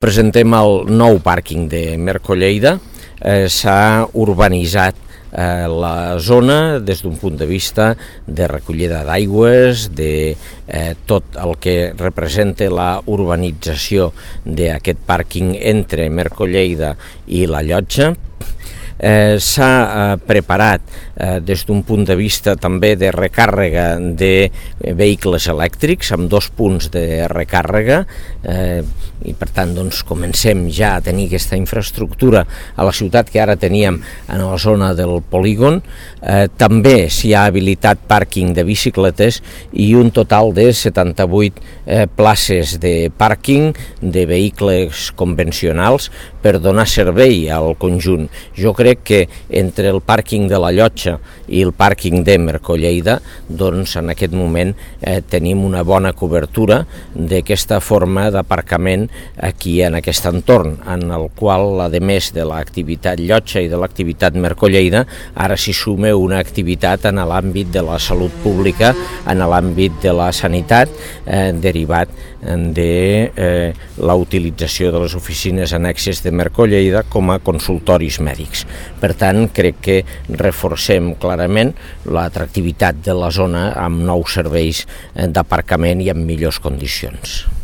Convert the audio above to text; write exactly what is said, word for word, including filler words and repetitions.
Presentem el nou pàrquing de Merco-Lleida. Eh, s'ha urbanitzat eh, la zona des d'un punt de vista de recollida d'aigües, de eh, tot el que representa la urbanització d'aquest pàrquing entre Merco-Lleida i la Llotja. Eh, s'ha eh, preparat eh, des d'un punt de vista també de recàrrega de vehicles elèctrics amb dos punts de recàrrega eh, i per tant doncs, comencem ja a tenir aquesta infraestructura a la ciutat que ara teníem en la zona del polígon. Eh, també s'hi ha habilitat pàrquing de bicicletes i un total de setanta-vuit eh, places de pàrquing de vehicles convencionals per donar servei al conjunt. Jo crec que entre el pàrquing de la Llotja i el pàrquing de Merco-Lleida doncs en aquest moment eh, tenim una bona cobertura d'aquesta forma d'aparcament aquí en aquest entorn, en el qual a més de l'activitat Llotja i de l'activitat Merco-Lleida ara s'hi suma una activitat en l'àmbit de la salut pública, en l'àmbit de la sanitat eh, derivat de eh, la utilització de les oficines annexes de Merco-Lleida com a consultoris mèdics. Per tant, crec que reforcem clarament l'atractivitat de la zona amb nous serveis d'aparcament i amb millors condicions.